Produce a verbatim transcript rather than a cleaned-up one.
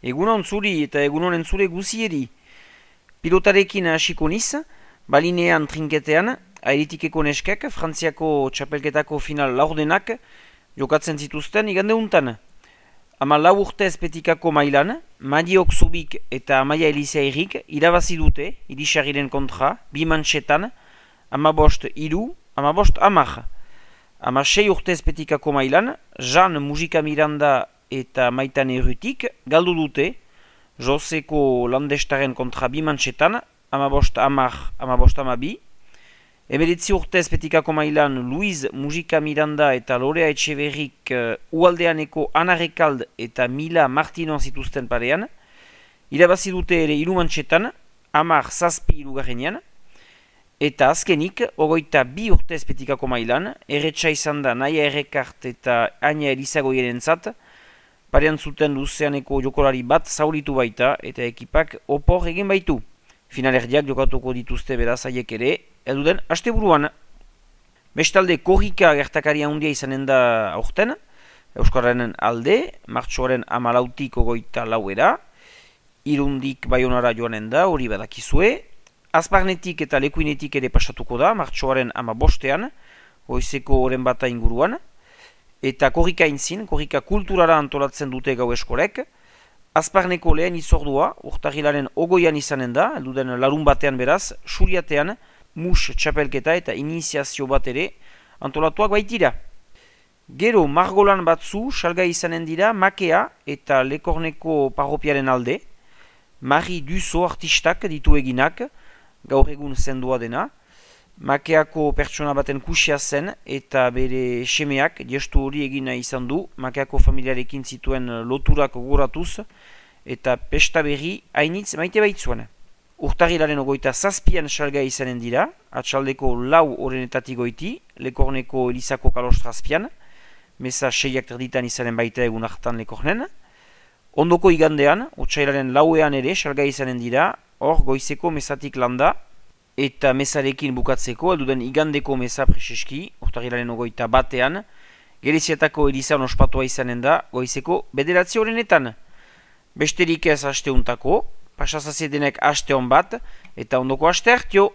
Egunon zuri eta egunon entzule guzieri. Pilotarekin hasiko niz, balinean trinketean, airitikeko neskek, Frantziako txapelketako final laurdenak jokatzen zituzten igande untan. Ama lau urte ezpetikako mailan, Madiok Zubik eta Amaia Elizairik irabazi dute, irisarriren kontra, bi mantxetan, ama bost iru, ama bost amar. Ama sei urte ezpetikako mailan, Jean Mujika Miranda eta Maitan Errutik galdu dute, Joseko landestaren kontra bi mantxetan, ama bost amar, ama bost amabi. Emeretzi urte ezpetikako mailan, Luiz Mujika Miranda eta Lorea Etxeberrik uh, ualdeaneko Ana Rekald eta Mila Martino zituzten parean. Irabazi dute ere hiru mantxetan, amar zazpi hirugarrenean. Eta azkenik, ogoita bi urte ezpetikako mailan, erretxa izan da Naia Errekart eta Aina Elizagoieren zat, parean zuten luzeaneko jokolari bat zauritu baita eta ekipak opor egin baitu. Finalerdiak jokatuko dituzte beraz haiek ere, eduden asteburuan. Bestalde korrika gertakaria handia izanen da aurten, Euskararen alde, martxoaren amalautik ogoita lauera, Irundik Baionara joanen da, hori badakizue, Azparnetik eta Lekuinetik ere pasatuko da, martxoaren amabostean, goizeko oren bata inguruan, eta korrika intzin, korrika kulturara antolatzen dute gau eskolek, Azparneko lehen izordua, urtarrilaren ogoian izanen da, elduden larun batean beraz, suriatean, mus txapelketa eta iniziazio bat ere antolatuak baitira. Gero margolan batzu, salgai izanen dira, Makea eta Lekorneko parropiaren alde, Mari Duzo artistak ditu eginak, gaur egun zendua dena, Makeako pertsona baten kusia zen eta bere semeak gestu hori egina izan du, Makeako familiarekin zituen loturak gogoratuz eta pesta berri hainitz maite baitzuen. Urtarrilaren ogoita zazpian salgai izanen dira, atxaldeko lau orenetatik goiti, Lekorneko Elizako kalostrazpian, meza seiak terditan izanen baita egun hartan Lekornen. Ondoko igandean, otsailaren lauean ere salgai izanen dira, hor goizeko mezatik landa, eta mezarekin bukatzeko, elduden igandeko meza preseski, urtarrilaren ogoita batean, Gereziatako Elizan ospatua izanen da, goizeko bederatzi horrenetan. Besterik ez asteuntako, pasazazedenek aste hon bat, eta ondoko aste hartio.